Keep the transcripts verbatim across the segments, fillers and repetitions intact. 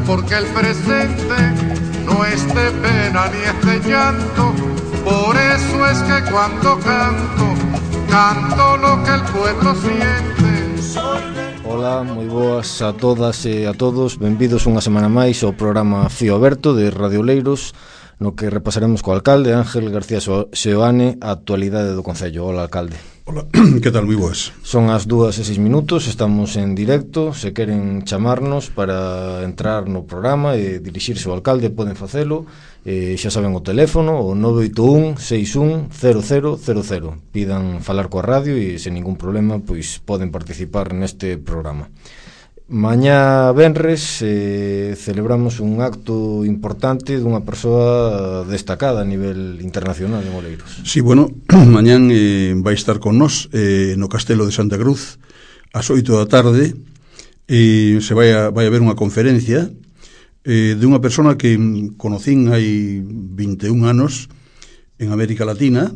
porque el presente no es de pena ni es de llanto. Por eso es que cuando canto, canto lo que el pueblo siente. Ola, moi boas a todas e a todos. Benvidos unha semana máis ao programa Fío Aberto de Radio Oleiros, no que repasaremos co alcalde Ángel García Seoane a actualidade do Concello. Ola, alcalde. Ola, que tal? Moi boas. Son as dúas e seis minutos, estamos en directo. Se queren chamarnos para entrar no programa e dirixirse ao alcalde, poden facelo. Eh, xa saben o teléfono, o nove oito un, seis un, cero cero cero cero. Pidan falar coa radio e sen ningún problema pois poden participar neste programa. Mañá venres eh, celebramos un acto importante dunha persoa destacada a nivel internacional en Oleiros. Sí, bueno, mañán eh, vai estar con nós eh, no Castelo de Santa Cruz ás oito da tarde e se vai a, vai a haber unha conferencia eh, de unha persona que conocín hai vinte e un anos en América Latina.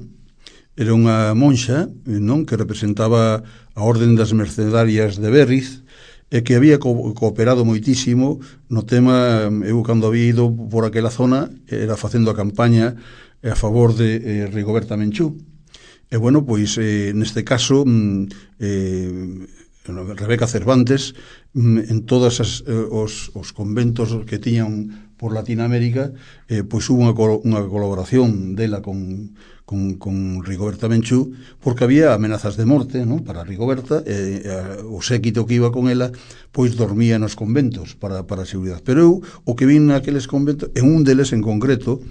Era unha monxa, non, que representaba a Orden das Mercedarias de Berriz e que había co- cooperado moitísimo no tema. Eu cando había ido por aquela zona era facendo a campaña a favor de eh, Rigoberta Menchú. E bueno, pois eh, neste caso eh, Rebeca Cervantes en todos as, eh, os, os conventos que tiñan por Latinoamérica, eh, pois hubo unha, unha colaboración dela con, con, con Rigoberta Menchú, porque había amenazas de morte, non, para Rigoberta, e eh, o séquito que iba con ela pois dormía nos conventos para, para a seguridade. Pero eu, o que vin naqueles conventos, en un deles en concreto,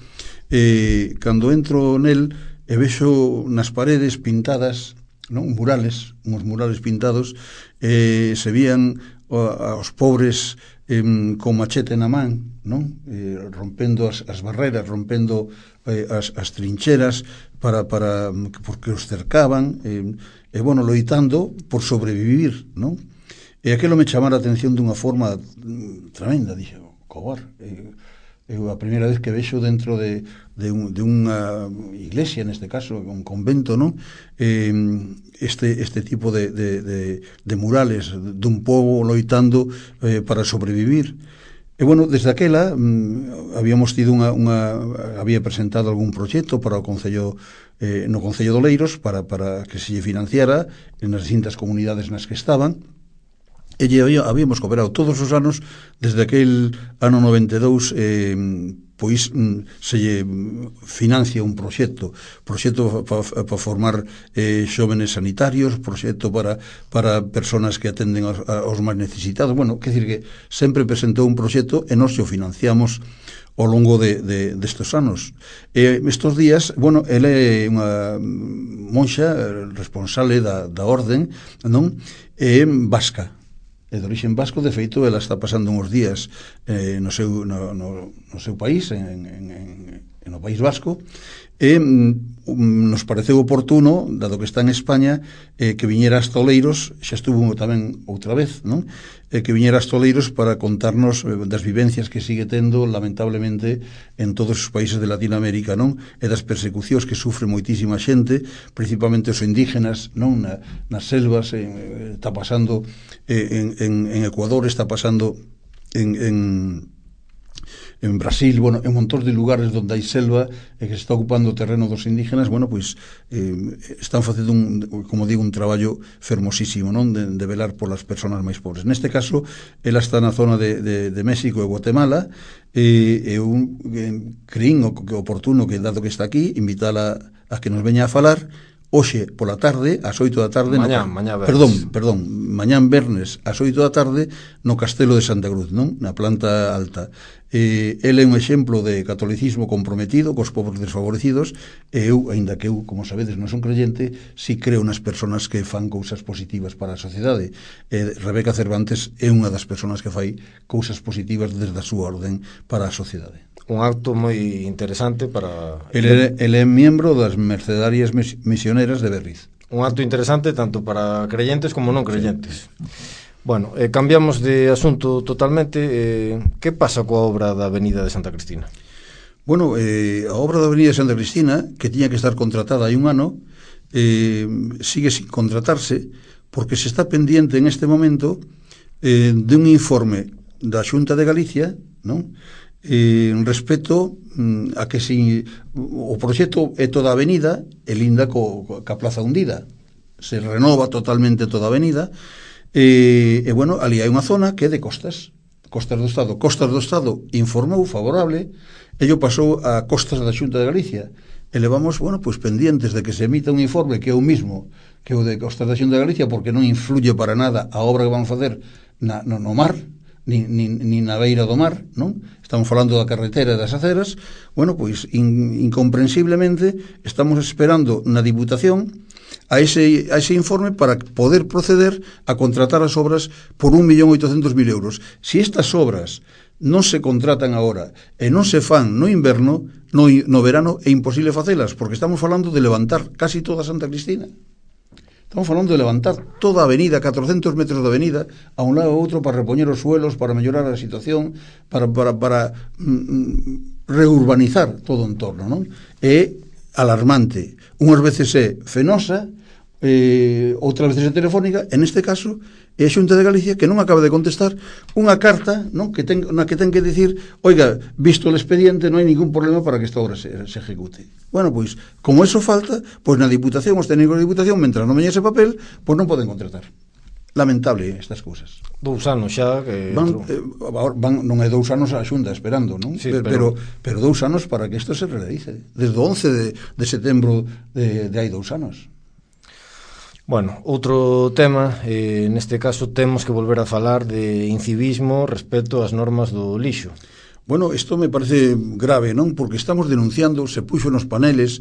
eh, cando entro nel e vexo nas paredes pintadas, non, murales, uns murales pintados, eh, se vían aos pobres eh, con machete na man, non? Eh, rompendo as, as barreras, rompendo eh, as, as trincheras para, para, porque os cercaban e, eh, eh, bueno, loitando por sobrevivir, non? E aquilo me chamara a atención dunha forma tremenda. Dixo, cobar, eh, eu a primeira vez que vexo dentro de, de, un, de unha iglesia, neste caso un convento, non, eh, este, este tipo de, de, de, de murales dun pobo loitando eh, para sobrevivir. E bueno, desde aquela mm, habíamos tido unha, unha había presentado algún proxecto para o Concello, eh, no Concello de Oleiros para, para que se lle financiara en as distintas comunidades nas que estaban. E habíamos cooperado todos os anos desde aquel ano noventa e dous, eh, pois se lle financia un proxecto proxecto para pa formar eh, xóvenes sanitarios, proxecto para, para personas que atenden aos, aos máis necesitados. Bueno, quer dicir que sempre presentou un proxecto e nós o financiamos ao longo de, de, destes anos. E estes días, bueno, ela é unha monxa responsable da, da orden, non? É vasca, é de origen vasco. De feito, ela está pasando uns días eh, no, seu, no, no, no seu país, en, en, en, no País Vasco, e um, nos pareceu oportuno, dado que está en España, eh, que viñera hasta Oleiros. Xa estuvo tamén outra vez, non? Eh, que viñera hasta Oleiros para contarnos eh, das vivencias que sigue tendo, lamentablemente, en todos os países de Latinoamérica, non? E das persecucións que sufre moitísima xente, principalmente os indígenas, non? Na, nas selvas, eh, está pasando eh, en, en, en Ecuador, está pasando en... en en Brasil, bueno, en un montón de lugares onde hai selva e que se está ocupando o terreno dos indígenas. Bueno, pois eh, están facendo un, como digo, un traballo fermosísimo, non? De, de velar polas persoas máis pobres. Neste caso, ela está na zona de, de, de México e Guatemala, e, e un, eh, creín o que oportuno que, dado que está aquí, invitala a que nos veña a falar hoxe pola tarde, ás oito da tarde, mañán, no, mañán perdón, perdón, mañán vernes ás oito da tarde no Castelo de Santa Cruz, non? Na planta alta. Eh, ele é un exemplo de catolicismo comprometido cos povos desfavorecidos, e eu, aínda que eu, como sabedes, non son creyente, si creo nas persoas que fan cousas positivas para a sociedade. Eh, Rebeca Cervantes é unha das persoas que fai cousas positivas desde a súa orden para a sociedade. Un acto moi interesante para... Ele, ele é membro das Mercedarias Misioneras de Berriz. Un acto interesante tanto para creyentes como non creyentes. Bueno, eh, cambiamos de asunto totalmente. Eh, que pasa coa obra da Avenida de Santa Cristina? Bueno, eh, a obra da Avenida de Santa Cristina, que tiña que estar contratada hai un ano, eh, sigue sin contratarse, porque se está pendiente en este momento eh, de un informe da Xunta de Galicia, non? Eh, respecto mm, a que si o proxecto é toda a avenida e linda co, co, ca Plaza Hundida, se renova totalmente toda a avenida, e, e bueno, ali hai unha zona que é de costas, Costas do Estado. Costas do Estado informou favorable, ello pasou a Costas da Xunta de Galicia, e levamos, bueno, pois pendientes de que se emita un informe que é o mismo que o de Costas da Xunta de Galicia, porque non influye para nada a obra que van facer na, no, no mar, ni, ni, ni na beira do mar, non? Estamos falando da carretera e das aceras. Bueno, pois in, incomprensiblemente estamos esperando na Diputación a ese, a ese informe para poder proceder a contratar as obras por un millón oitocentos mil euros. Si estas obras non se contratan agora e non se fan no inverno, no, no verano é imposible facelas, porque estamos falando de levantar casi toda Santa Cristina. Estamos falando de levantar toda a avenida, catrocentos metros de avenida, a un lado ou outro, para repoñer os suelos, para mellorar a situación, para, para, para mm, reurbanizar todo o entorno, non? É alarmante. Unhas veces é fenosa, eh, outras veces é telefónica, en este caso é a Xunta de Galicia que non acaba de contestar unha carta, non, que ten, na que ten que dicir, oiga, visto o expediente non hai ningún problema para que esta obra se, se ejecute. Bueno, pois, como eso falta, pois na Diputación, os técnicos da Diputación, mentras non veña ese papel, pois non poden contratar. Lamentable estas cousas. Dous anos xa que van, eh, van, non é dous anos a Xunta esperando, non? Sí, pero, pero, pero dous anos para que isto se realice. Desde o once de, de setembro de, de hai dous anos. Bueno, outro tema, eh, neste caso temos que volver a falar de incivismo respecto ás normas do lixo. Bueno, isto me parece grave, non? Porque estamos denunciando, se puxo nos paneles,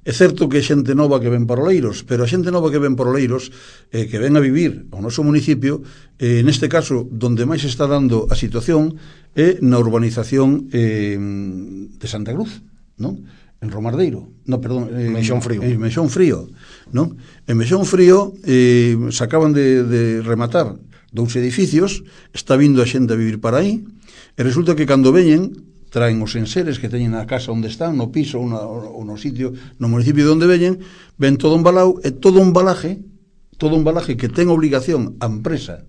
é certo que é xente nova que ven para Oleiros, pero a xente nova que ven para Oleiros, eh, que ven a vivir ao noso municipio, eh, neste caso, donde máis está dando a situación é na urbanización eh, de Santa Cruz, non? En Romardeiro, no, perdón, eh, Meixón Frío. En Meixón Frío, non? En Meixón Frío eh, se acaban de, de rematar dous edificios, está vindo a xente a vivir para aí, e resulta que cando veñen, traen os enseres que teñen na casa onde están, no piso ou, na, ou no sitio, no municipio de onde veñen, ven todo embalado, e todo un balaje, todo un balaje que ten obligación a empresa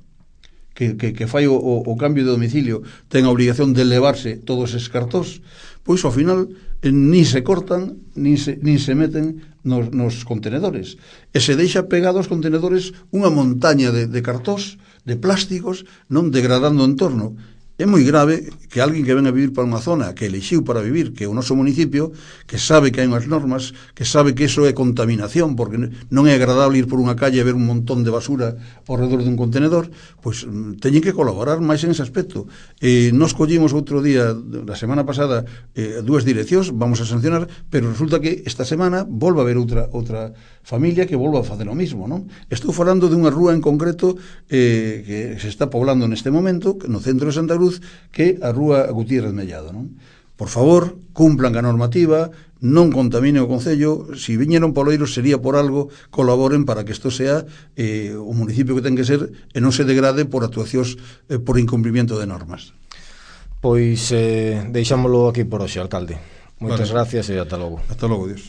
que, que, que fai o, o cambio de domicilio, ten a obligación de levarse todos eses cartós, pois ao final eh, nin se cortan, nin se, nin se meten nos, nos contenedores, e se deixa pegado aos contenedores unha montaña de, de cartós, de plásticos, non degradando o entorno. É moi grave que alguén que ven a vivir para unha zona que elixiu para vivir, que é o noso municipio, que sabe que hai unhas normas, que sabe que iso é contaminación, porque non é agradable ir por unha calle e ver un montón de basura ao redor dun contenedor, pois teñen que colaborar máis en ese aspecto. Eh, nos collimos outro día, la semana pasada, eh, dúas direccións, vamos a sancionar, pero resulta que esta semana volva a haber outra outra familia que volva a facer o mismo, non? Estou falando de unha rúa en concreto eh, que se está poblando neste momento, no centro de Santa Cruz, que a rúa Gutiérrez Mellado, non? Por favor, cumplan a normativa, non contaminen o Concello, si viñeron poleiros sería por algo, colaboren para que isto sea eh, o municipio que ten que ser e non se degrade por actuacións eh, por incumplimiento de normas. Pois eh, deixámolo aquí por hoxe, alcalde. Moitas vale. gracias e ata logo. Ata logo, Dios.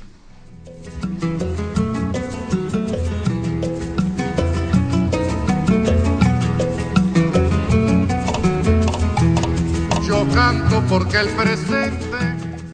Yo canto porque el presente